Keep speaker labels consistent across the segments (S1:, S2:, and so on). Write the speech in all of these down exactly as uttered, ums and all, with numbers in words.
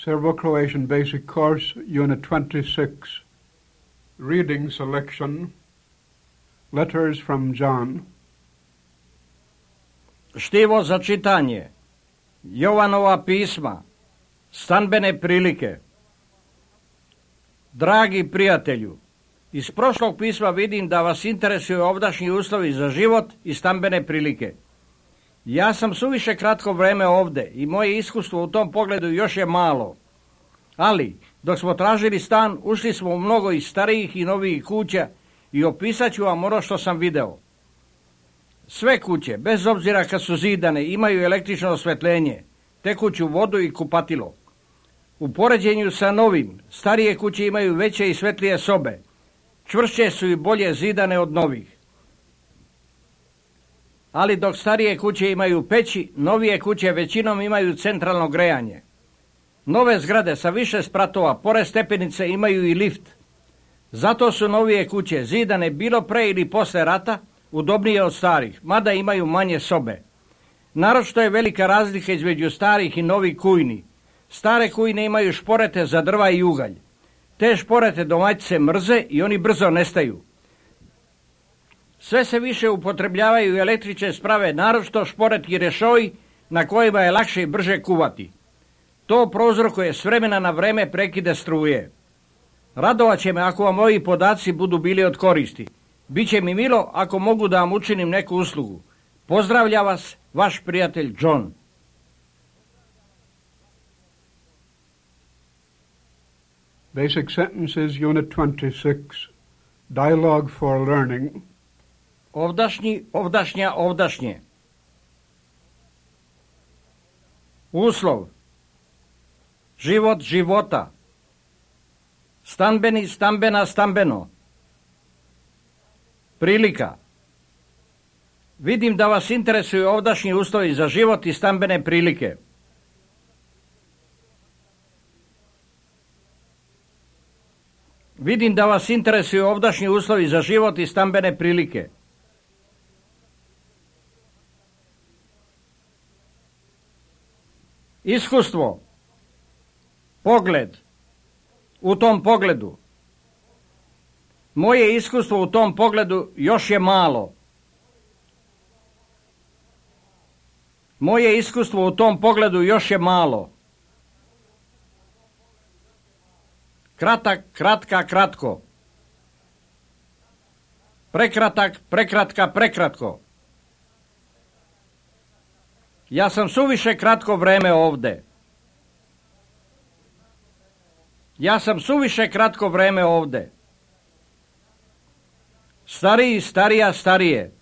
S1: Serbo-Croatian Basic Course, Unit twenty-six. Reading selection. Letters from John.
S2: Štivo za čitanje. Jovanova pisma. Stanbene prilike. Dragi prijatelju, iz prošlog pisma vidim da vas interesuju ovdašnji uslovi za život i stambene prilike. Ja sam suviše kratko vreme ovde i moje iskustvo u tom pogledu još je malo. Ali, dok smo tražili stan, ušli smo u mnogo i starijih i novijih kuća i opisat ću vam ono što sam video. Sve kuće, bez obzira kad su zidane, imaju električno osvetljenje, tekuću vodu i kupatilo. U poređenju sa novim, starije kuće imaju veće i svetlije sobe. Čvršće su i bolje zidane od novih. Ali dok starije kuće imaju peći, novije kuće većinom imaju centralno grejanje. Nove zgrade sa više spratova, pored stepenice, imaju i lift. Zato su novije kuće zidane bilo pre ili posle rata, udobnije od starih, mada imaju manje sobe. Naročito je velika razlika između starih i novih kujni. Stare kujne imaju šporete za drva i ugalj. Te šporete domaćice mrze i oni brzo nestaju. Sve se više upotrebljavaju električne sprave, naročito šporet i rešoji na kojima je lakše i brže kuvati. To prouzrokuje s vremena na vreme prekide struje. Radovat će me ako vam ovi podaci budu bili od koristi. Biće mi milo ako mogu da vam učinim neku uslugu. Pozdravlja vas, vaš prijatelj John.
S1: Basic Sentences, Unit twenty-six. Dialogue for Learning.
S2: Ovdašnji, ovdašnja, ovdašnje. Uslov. Život, života. Stanbeni, stambena, stambeno. Prilika. Vidim da vas interesuju ovdašnji uslovi za život i stambene prilike. Vidim da vas interesuju ovdašnji uslovi za život i stambene prilike. Iskustvo. Pogled. U tom pogledu. Moje iskustvo u tom pogledu još je malo. Moje iskustvo u tom pogledu još je malo. Kratak, kratka, kratko. Prekratak, prekratka, prekratko. Ja sam suviše kratko vreme ovde. Ja sam suviše kratko vreme ovde. Stariji, starija, starije.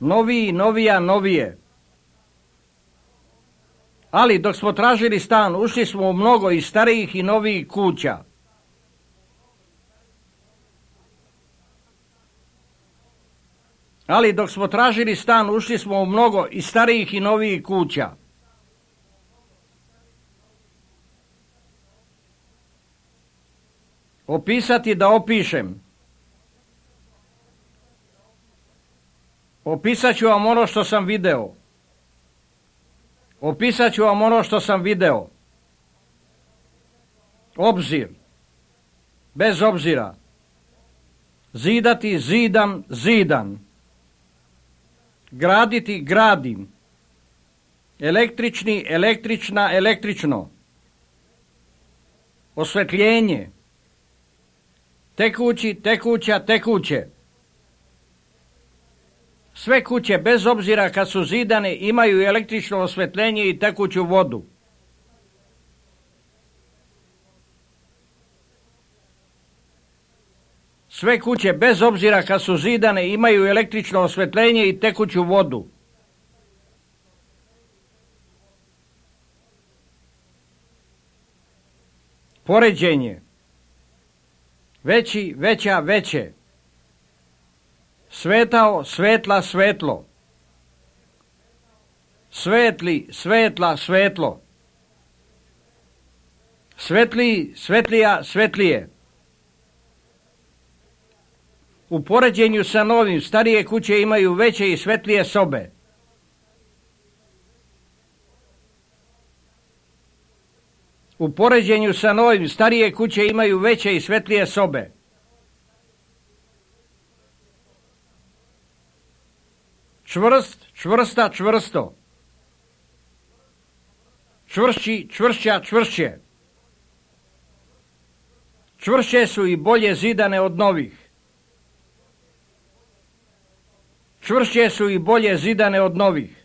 S2: Noviji, novija, novije. Ali dok smo tražili stan, ušli smo u mnogo i starijih i novijih kuća. Ali dok smo tražili stan, ušli smo u mnogo i starijih i novijih kuća. Opisati da opišem. Opisat ću vam ono što sam video. Opisat ću vam ono što sam video. Obzir. Bez obzira. Zidati, zidam, zidan. Graditi, gradim. Električni, električna, električno. Osvetljenje. Tekući, tekuća, tekuće. Sve kuće, bez obzira kad su zidane, imaju električno osvetljenje i tekuću vodu. Sve kuće, bez obzira kad su zidane, imaju električno osvetljenje i tekuću vodu. Poređenje. Veći, veća, veće. Svetao, svetla, svetlo. Svetli, svetla, svetlo. Svetliji, svetlija, svetlije. U poređenju sa novim, starije kuće imaju veće i svetlije sobe. U poređenju sa novim, starije kuće imaju veće i svetlije sobe. Čvrst, čvrsta, čvrsto. Čvršći, čvršća, čvršće. Čvršće su i bolje zidane od novih. Čvršće su i bolje zidane od novih.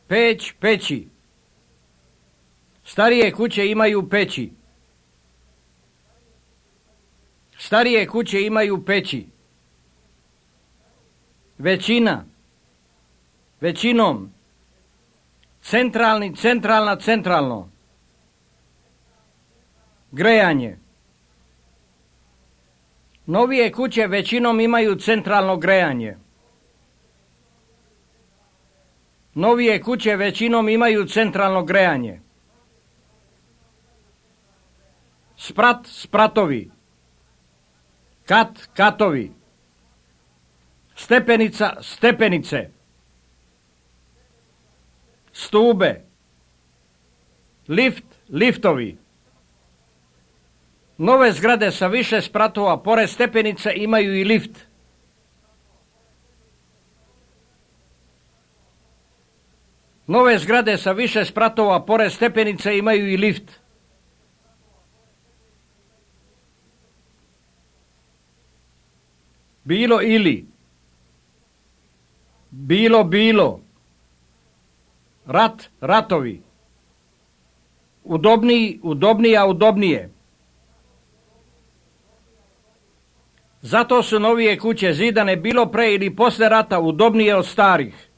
S2: Peć, peći. Starije kuće imaju peći. Starije kuće imaju peći. Većina. Većinom. Centralni, centralna, centralno. Grejanje. Novije kuće većinom imaju centralno grejanje. Novije kuće većinom imaju centralno grejanje. Sprat, spratovi. Kat, katovi. Stepenica, stepenice. Stube. Lift, liftovi. Nove zgrade sa više spratova pored stepenice imaju i lift. Nove zgrade sa više spratova pored stepenice imaju i lift. Bilo ili. Bilo bilo. Rat, ratovi. Udobniji, udobnija, udobnije. Zato su novije kuće zidane bilo pre ili posle rata udobnije od starih.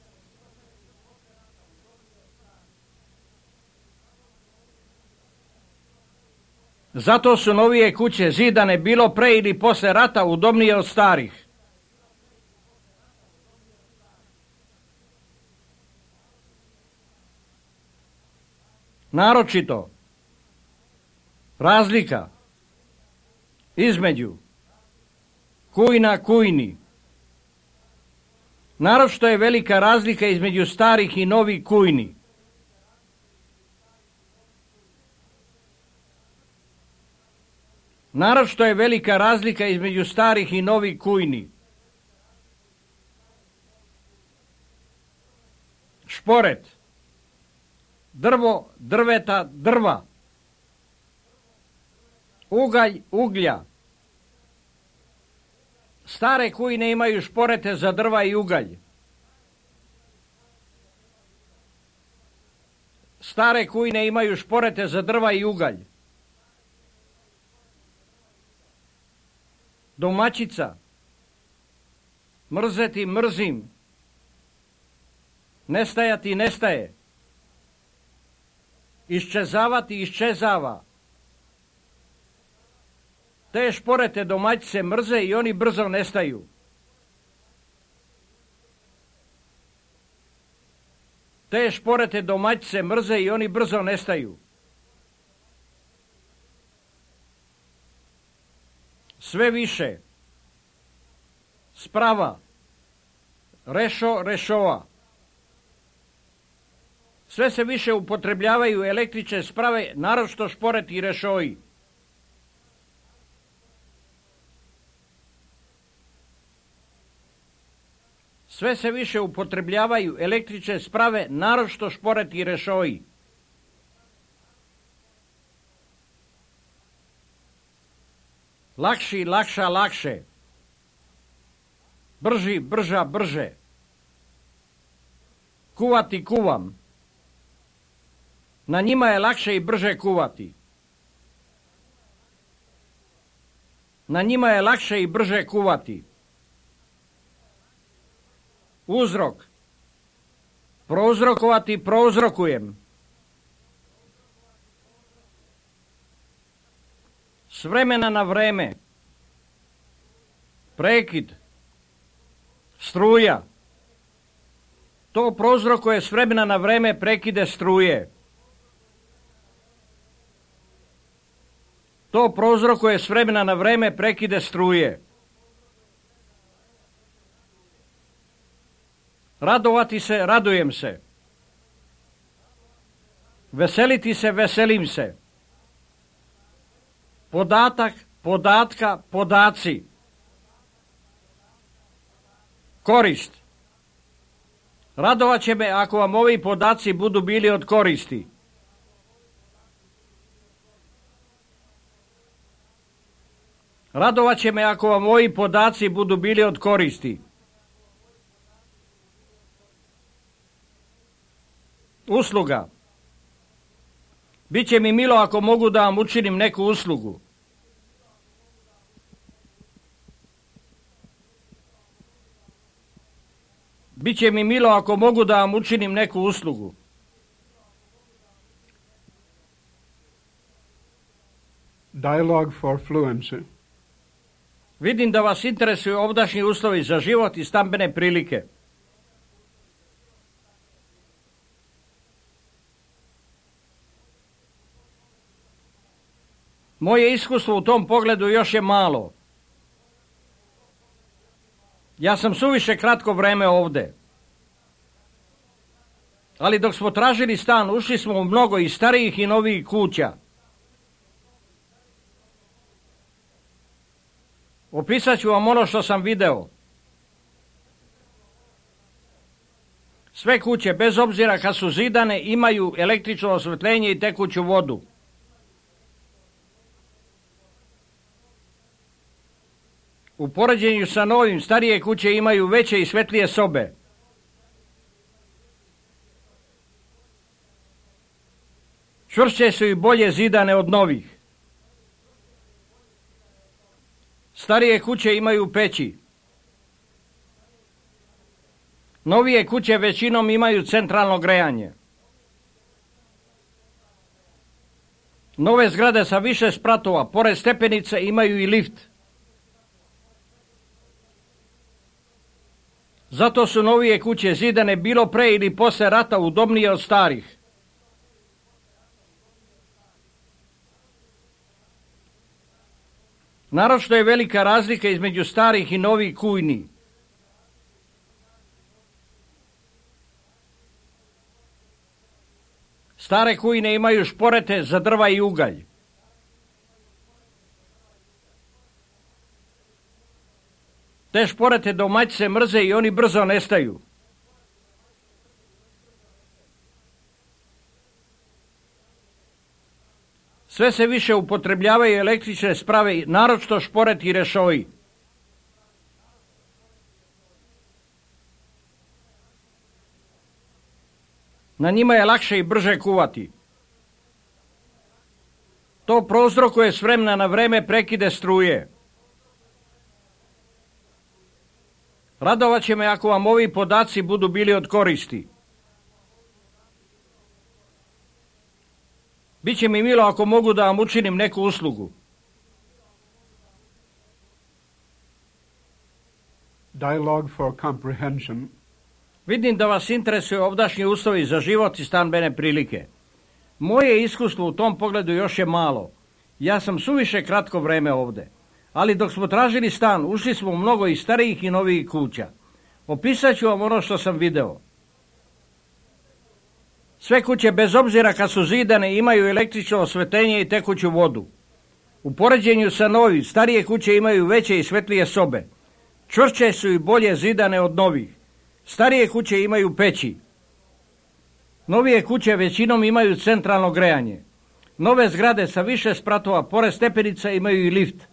S2: Zato su novije kuće zidane bilo pre ili posle rata udobnije od starih. Naročito, razlika između kujna kujni. Naročito je velika razlika između starih i novih kujni. Naročito je velika razlika između starih i novih kujni. Šporet. Drvo, drveta, drva. Ugalj, uglja. Stare kujne imaju šporete za drva i ugalj. Stare kujne imaju šporete za drva i ugalj. Domaćica. Mrzeti, mrzim. Nestajati, nestaje. Iščezavati, iščezava. Te šporete domaćice mrze i oni brzo nestaju. Te šporete domaćice mrze i oni brzo nestaju. Sve više. Sprava. Rešo, rešova. Sve se više upotrebljavaju električne sprave, naročito šporeti i rešoji. Sve se više upotrebljavaju električne sprave, naročito šporeti i rešoji. Lakši, lakša, lakše. Brži, brža, brže. Kuvati, kuvam. Na njima je lakše i brže kuvati. Na njima je lakše i brže kuvati. Uzrok. Prouzrokovati, prouzrokujem. S vremena na vreme. Prekid. Struja. To prouzrokuje s vremena na vreme prekide struje. To prouzrokuje s vremena na vreme prekide struje. Radovati se, radujem se. Veseliti se, veselim se. Podatak, podatka, podaci. Korist. Radovat će me ako vam ovi podaci budu bili od koristi. Radovat će me ako vam ovi podaci budu bili od koristi. Usluga. Biće mi milo ako mogu da vam učinim neku uslugu. Biće mi milo ako mogu da vam učinim neku uslugu.
S1: Dialogue for fluency.
S2: Vidim da vas interesuju ovdašnji uslovi za život i stambene prilike. Moje iskustvo u tom pogledu još je malo. Ja sam suviše kratko vreme ovde. Ali dok smo tražili stan, ušli smo u mnogo i starijih i novijih kuća. Opisat ću vam ono što sam video. Sve kuće, bez obzira kad su zidane, imaju električno osvetljenje i tekuću vodu. U poređenju sa novim, starije kuće imaju veće i svetlije sobe. Čvršće su i bolje zidane od novih. Starije kuće imaju peći. Novije kuće većinom imaju centralno grejanje. Nove zgrade sa više spratova, pored stepenice, imaju i lift. Zato su novije kuće zidane bilo pre ili posle rata udobnije od starih. Naročito je velika razlika između starih i novih kujni. Stare kujne imaju šporete za drva i ugalj. Te šporete domaćice mrze i oni brzo nestaju. Sve se više upotrebljavaju električne sprave, naročito šporeti i rešoji. Na njima je lakše i brže kuvati. To prouzrokuje s vremena na vreme prekide struje. Radovat će me ako vam ovi podaci budu bili od koristi. Biće mi milo ako mogu da vam učinim neku uslugu.
S1: Dialogue for comprehension.
S2: Vidim da vas interesuju ovdašnji uslovi za život i stambene prilike. Moje iskustvo u tom pogledu još je malo. Ja sam suviše kratko vreme ovde. Ali dok smo tražili stan, ušli smo u mnogo i starijih i novijih kuća. Opisat ću vam ono što sam video. Sve kuće, bez obzira kad su zidane, imaju električno osvetljenje i tekuću vodu. U poređenju sa novim, starije kuće imaju veće i svetlije sobe. Čvršće su i bolje zidane od novih. Starije kuće imaju peći. Novije kuće većinom imaju centralno grejanje. Nove zgrade sa više spratova, pored stepenica, imaju i lift.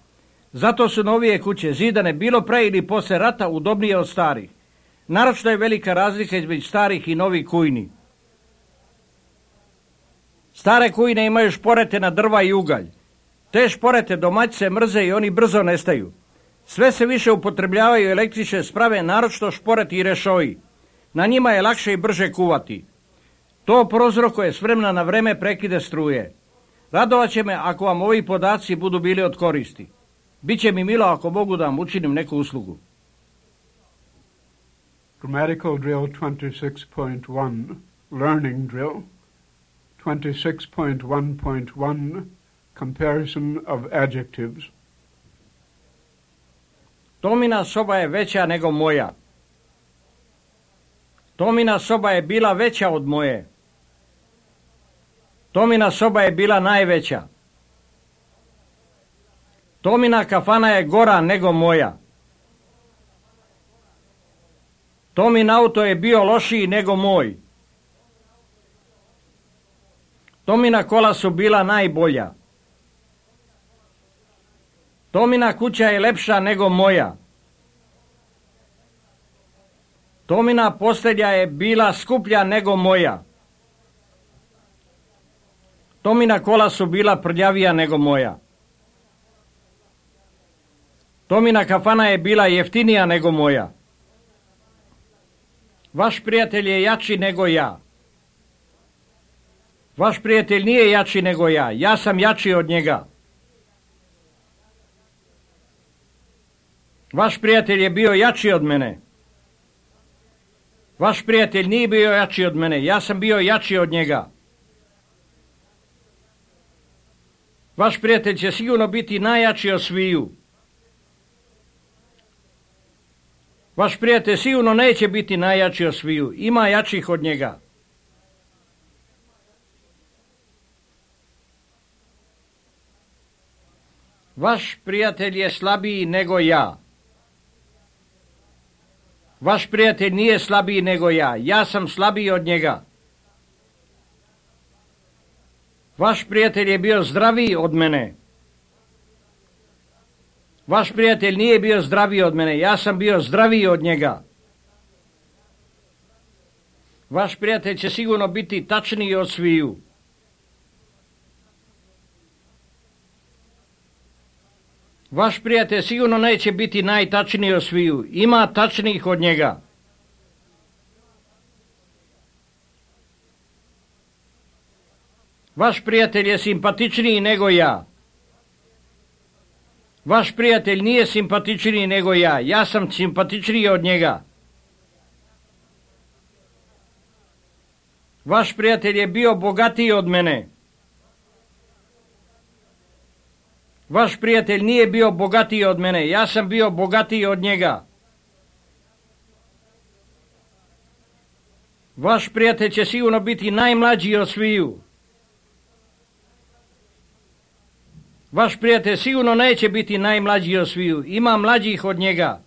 S2: Zato su novije kuće zidane bilo pre ili posle rata udobnije od starih. Naročito je velika razlika između starih i novih kujni. Stare kujne imaju šporete na drva i ugalj. Te šporete domaćice mrze i oni brzo nestaju. Sve se više upotrebljavaju električne sprave, naročito šporeti i rešoji. Na njima je lakše i brže kuvati. To prouzrokuje s vremena na vreme prekide struje. Radovat će me ako vam ovi podaci budu bili od koristi. Biće mi milo ako mogu da vam učinim neku uslugu.
S1: Grammatical drill twenty-six point one, learning drill. twenty-six point one point one, comparison of adjectives.
S2: Tomina soba je veća nego moja. Tomina soba je bila veća od moje. Tomina soba je bila najveća. Tomina kafana je gora nego moja. Tomin auto je bio lošiji nego moj. Tomina kola su bila najbolja. Tomina kuća je lepša nego moja. Tomina postelja je bila skuplja nego moja. Tomina kola su bila prljavija nego moja. Tomina kafana je bila jeftinija nego moja. Vaš prijatelj je jači nego ja. Vaš prijatelj nije jači nego ja. Ja sam jači od njega. Vaš prijatelj je bio jači od mene. Vaš prijatelj nije bio jači od mene. Ja sam bio jači od njega. Vaš prijatelj će sigurno biti najjači od sviju. Vaš prijatelj sigurno neće biti najjači od sviju. Ima jačih od njega. Vaš prijatelj je slabiji nego ja. Vaš prijatelj nije slabiji nego ja. Ja sam slabiji od njega. Vaš prijatelj je bio zdraviji od mene. Vaš prijatelj nije bio zdraviji od mene. Ja sam bio zdraviji od njega. Vaš prijatelj će sigurno biti tačniji od sviju. Vaš prijatelj sigurno neće biti najtačniji od sviju. Ima tačnijih od njega. Vaš prijatelj je simpatičniji nego ja. Vaš prijatelj nije simpatičniji nego ja. Ja sam simpatičniji od njega. Vaš prijatelj je bio bogatiji od mene. Vaš prijatelj nije bio bogatiji od mene. Ja sam bio bogatiji od njega. Vaš prijatelj će sigurno biti najmlađi od sviju. Vaš prijatelj sigurno neće biti najmlađi od sviju. Ima mlađih od njega.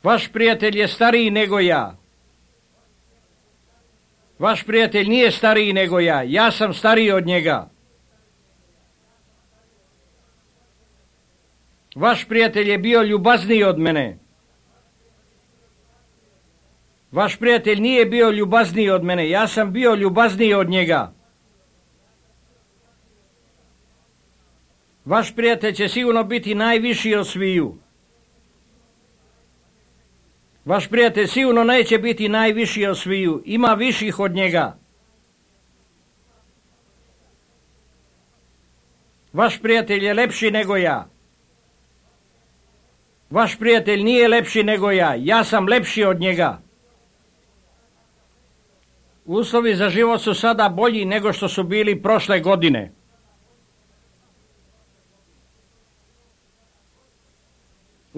S2: Vaš prijatelj je stariji nego ja. Vaš prijatelj nije stariji nego ja. Ja sam stariji od njega. Vaš prijatelj je bio ljubazniji od mene. Vaš prijatelj nije bio ljubazniji od mene. Ja sam bio ljubazniji od njega. Vaš prijatelj će sigurno biti najviši od sviju. Vaš prijatelj sigurno neće biti najviši od sviju. Ima viših od njega. Vaš prijatelj je lepši nego ja. Vaš prijatelj nije lepši nego ja. Ja sam lepši od njega. Uslovi za život su sada bolji nego što su bili prošle godine.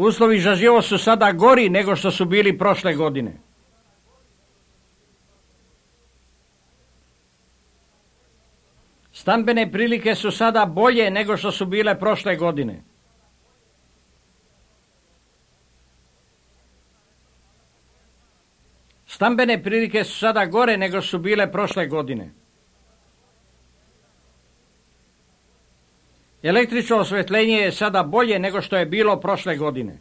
S2: Uslovi za život su sada gori nego što su bili prošle godine. Stambene prilike su sada bolje nego što su bile prošle godine. Stambene prilike su sada gore nego što su bile prošle godine. Električno osvetljenje je sada bolje nego što je bilo prošle godine.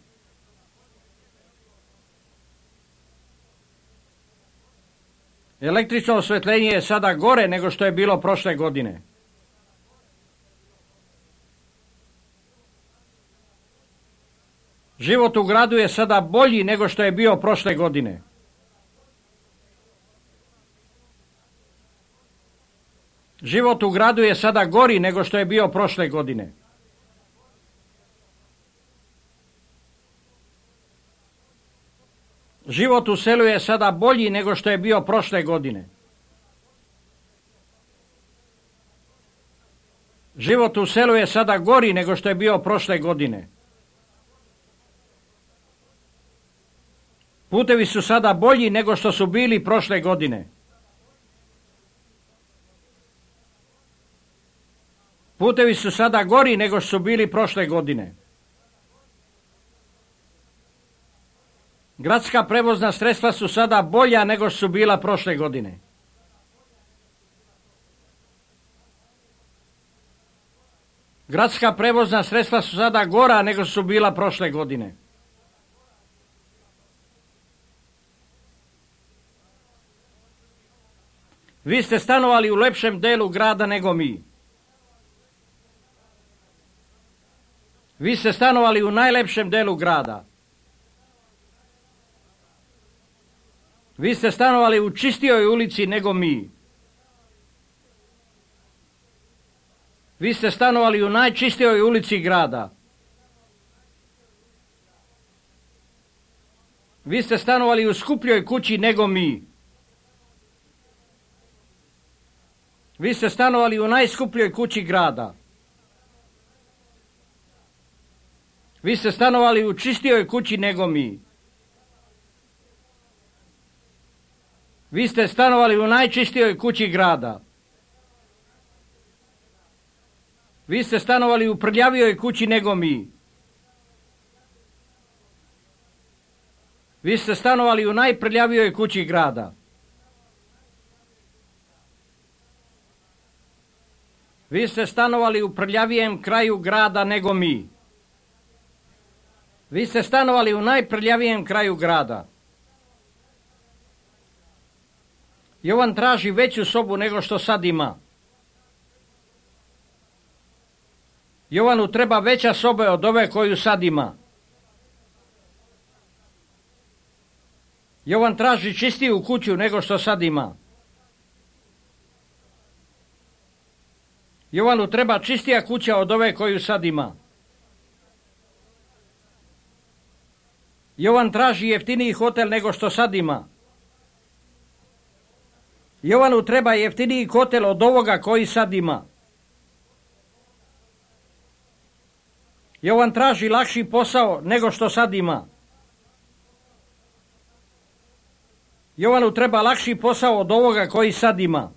S2: Električno osvetljenje je sada gore nego što je bilo prošle godine. Život u gradu je sada bolji nego što je bio prošle godine. Život u gradu je sada gori nego što je bio prošle godine. Život u selu je sada bolji nego što je bio prošle godine. Život u selu je sada gori nego što je bio prošle godine. Putevi su sada bolji nego što su bili prošle godine. Putevi su sada gori nego što su bili prošle godine. Gradska prevozna sredstva su sada bolja nego što su bila prošle godine. Gradska prevozna sredstva su sada gora nego što su bila prošle godine. Vi ste stanovali u lepšem delu grada nego mi. Vi ste stanovali u najlepšem delu grada. Vi ste stanovali u čistijoj ulici nego mi. Vi ste stanovali u najčistijoj ulici grada. Vi ste stanovali u skupljoj kući nego mi. Vi ste stanovali u najskupljoj kući grada. Vi ste stanovali u čistijoj kući nego mi. Vi ste stanovali u najčistijoj kući grada. Vi ste stanovali u prljavijoj kući nego mi. Vi ste stanovali u najprljavijoj kući grada. Vi ste stanovali u prljavijem kraju grada nego mi. Vi ste stanovali u najprljavijem kraju grada. Jovan traži veću sobu nego što sad ima. Jovanu treba veća soba od ove koju sad ima. Jovan traži čistiju kuću nego što sad ima. Jovanu treba čistija kuća od ove koju sad ima. Jovan traži jeftiniji hotel nego što sad ima. Jovanu treba jeftiniji hotel od ovoga koji sad ima. Jovan traži lakši posao nego što sad ima. Jovanu treba lakši posao od ovoga koji sad ima.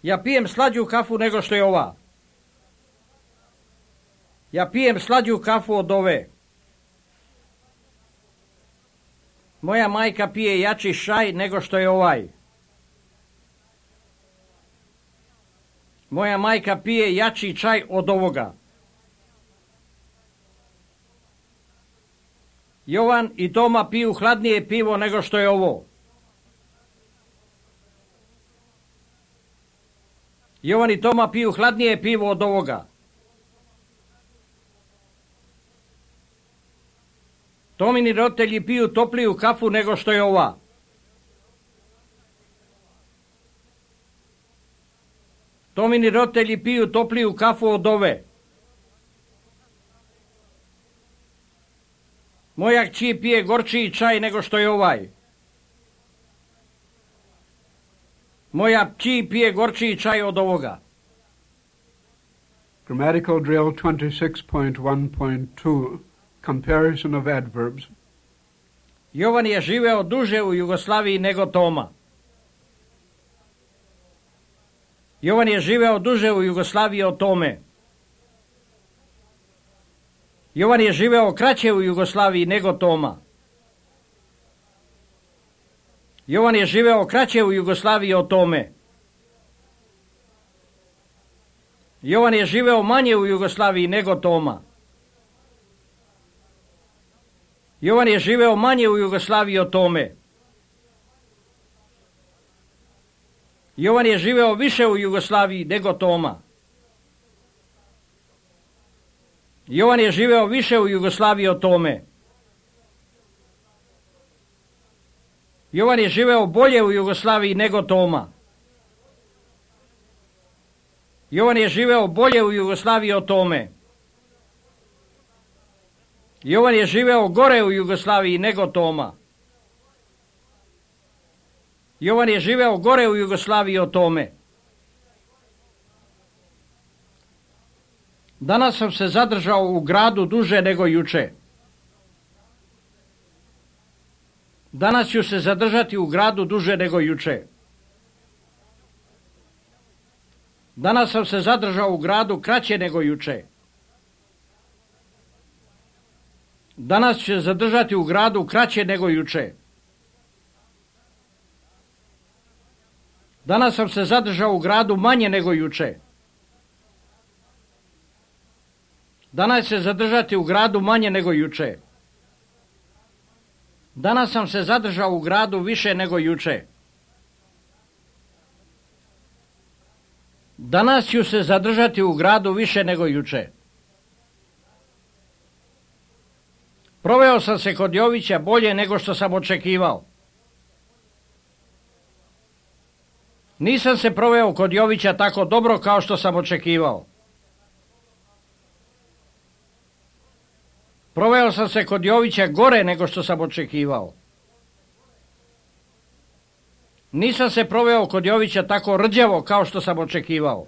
S2: Ja pijem slađu kafu nego što je ova. Ja pijem slađu kafu od ove. Moja majka pije jači šaj nego što je ovaj. Moja majka pije jači čaj od ovoga. Jovan i Toma piju hladnije pivo nego što je ovo. Jovan i Toma piju hladnije pivo od ovoga. Tomini roditelji piju topliju kafu nego što je ova. Tomini roditelji piju topliju kafu od ove. Moja kći pije gorčiji čaj nego što je ovaj. Moja kći pije gorčiji čaj od ovoga.
S1: Grammatical drill twenty-six point one point two. Comparison of adverbs.
S2: Jovan je živeo duže u Jugoslaviji nego Toma. Jovan je živeo duže u Jugoslaviji od Tome. Jovan je živeo kraće u Jugoslaviji nego Toma. Jovan je živeo kraće u Jugoslaviji od Tome. Jovan je živeo manje u Jugoslaviji nego Toma. Jovan je živeo manje u Jugoslaviji od Tome. Jovan je živeo više u Jugoslaviji nego Toma. Jovan je živeo više u Jugoslaviji od Tome. Jovan je živeo bolje u Jugoslaviji nego Toma. Jovan je živeo bolje u Jugoslaviji od Tome. Jovan je živeo gore u Jugoslaviji nego Toma. Jovan je živeo gore u Jugoslaviji od Tome. Danas sam se zadržao u gradu duže nego juče. Danas ću se zadržati u gradu duže nego juče. Danas sam se zadržao u gradu kraće nego juče. Danas ću se zadržati u gradu kraće nego juče. Danas sam se zadržao u gradu manje nego juče. Danas će se zadržati u gradu manje nego juče. Danas sam se zadržao u gradu više nego juče. Danas ću se zadržati u gradu više nego juče. Proveo sam se kod Jovića bolje nego što sam očekivao. Nisam se proveo kod Jovića tako dobro kao što sam očekivao. Proveo sam se kod Jovića gore nego što sam očekivao. Nisam se proveo kod Jovića tako rđavo kao što sam očekivao.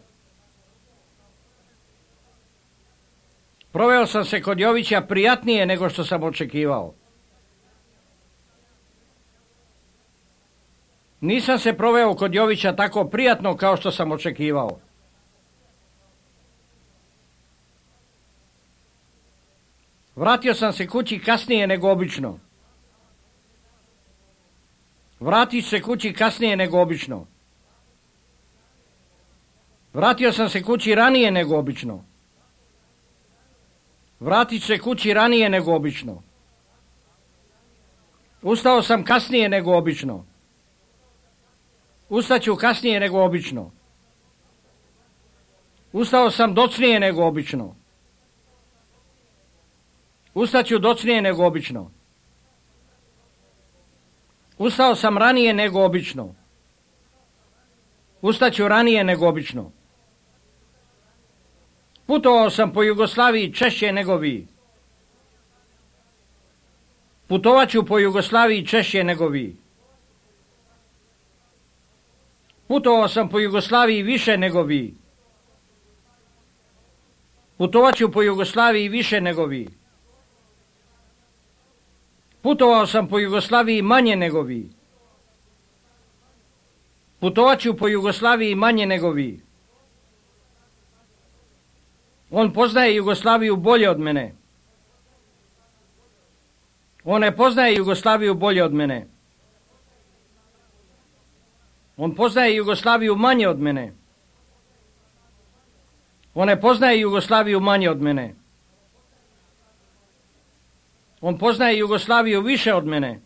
S2: Proveo sam se kod Jovića prijatnije nego što sam očekivao. Nisam se proveo kod Jovića tako prijatno kao što sam očekivao. Vratio sam se kući kasnije nego obično. Vratit ću se kući kasnije nego obično. Vratio sam se kući ranije nego obično. Vratit ću se kući ranije nego obično. Ustao sam kasnije nego obično. Ustaću kasnije nego obično. Ustao sam docnije nego obično. Ustaću docnije nego obično. Ustao sam ranije nego obično. Ustaću ranije nego obično. Putovao sam po Jugoslaviji češće nego vi. Putovaću po Jugoslaviji češće nego vi. Putovao sam po Jugoslaviji više nego vi. Putovaću po Jugoslaviji više nego vi. Putovao sam po Jugoslaviji manje nego vi. Putovaću po Jugoslaviji manje nego vi. On poznaje Jugoslaviju bolje od mene. On ne poznaje Jugoslaviju bolje od mene. On poznaje Jugoslaviju manje od mene. On ne poznaje Jugoslaviju manje od mene. On poznaje Jugoslaviju više od mene.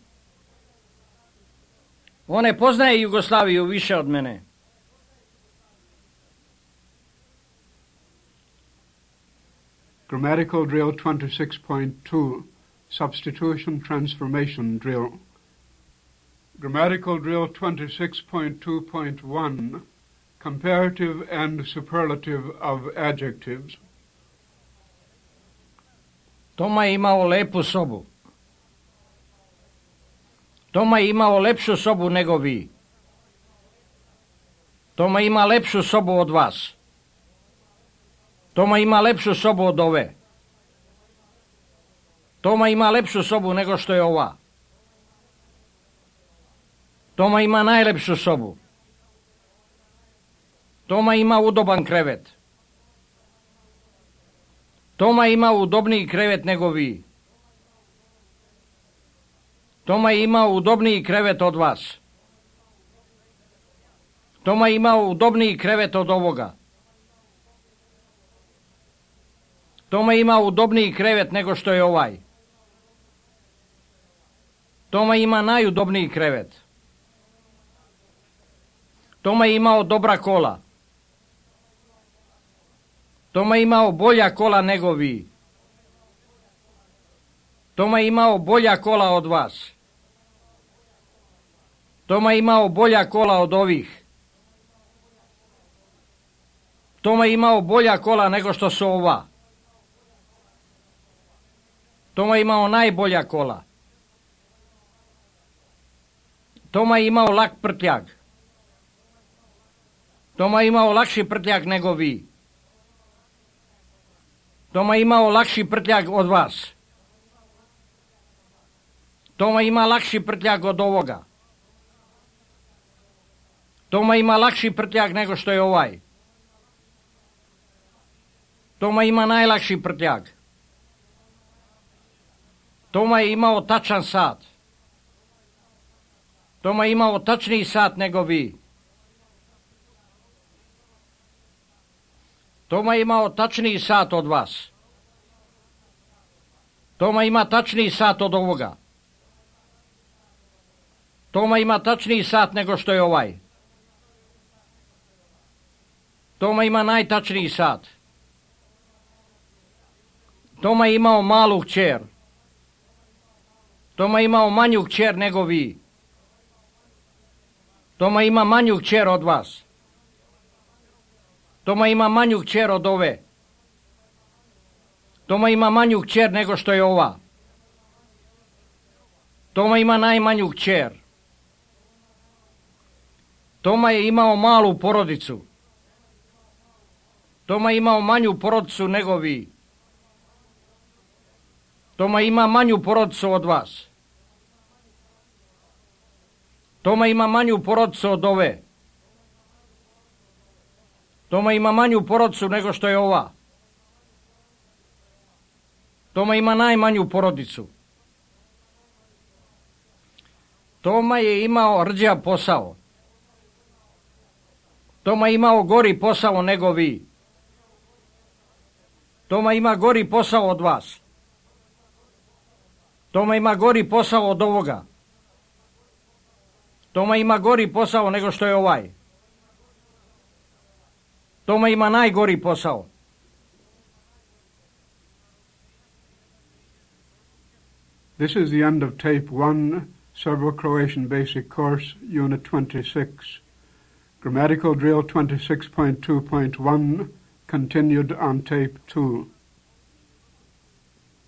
S2: On ne poznaje Jugoslaviju više od mene.
S1: Grammatical drill twenty-six point two, substitution transformation drill. Grammatical drill twenty-six point two point one, comparative and superlative of adjectives.
S2: Toma je imao lepu sobu. Toma je imao lepšu sobu nego vi. Toma ima lepšu sobu od vas. Toma ima lepšu sobu od ove. Toma ima lepšu sobu nego što je ova. Toma ima najlepšu sobu. Toma ima udoban krevet. Toma ima udobniji krevet nego vi. Toma je imao udobniji krevet od vas. Toma je imao udobniji krevet od ovoga. Toma ima udobniji krevet nego što je ovaj. Toma ima najudobniji krevet. Toma je imao dobra kola. Toma je imao bolja kola nego vi. Toma je imao bolja kola od vas. Toma je imao bolja kola od ovih. Toma je imao bolja kola nego što su ova. Toma je imao najbolja kola. Toma je imao lak prtljag. Toma je imao lakši prtljag nego vi. Toma je imao lakši prtljag od vas. Toma ima lakši prtljag od ovoga. Toma ima lakši prtljag nego što je ovaj. Toma ima najlakši prtljag. Toma je imao tačan sat. Toma je imao tačniji sat nego vi. Toma je imao tačniji sat od vas. Toma ima tačniji sat od ovoga. Toma ima tačniji sat nego što je ovaj. Toma ima najtačniji sat. Toma je imao malu kćer. Toma je imao manju kćer nego vi. Toma ima manju kćer od vas. Toma ima manju kćer od ove. Toma ima manju kćer nego što je ova. Toma ima najmanju kćer. Toma je imao malu porodicu. Toma je imao manju porodicu nego vi. Toma ima manju porodicu od vas. Toma ima manju porodicu od ove. Toma ima manju porodicu nego što je ova. Toma ima najmanju porodicu. Toma je imao rđav posao. Toma je imao gori posao nego vi. Toma ima gori posao od vas. Toma ima gori posao od ovoga. Toma ima gori posao nego što je ovaj. Toma ima najgori posao.
S1: This is the end of tape one, Serbo-Croatian Basic Course, Unit twenty-six. Grammatical Drill twenty-six point two point one, continued on tape two.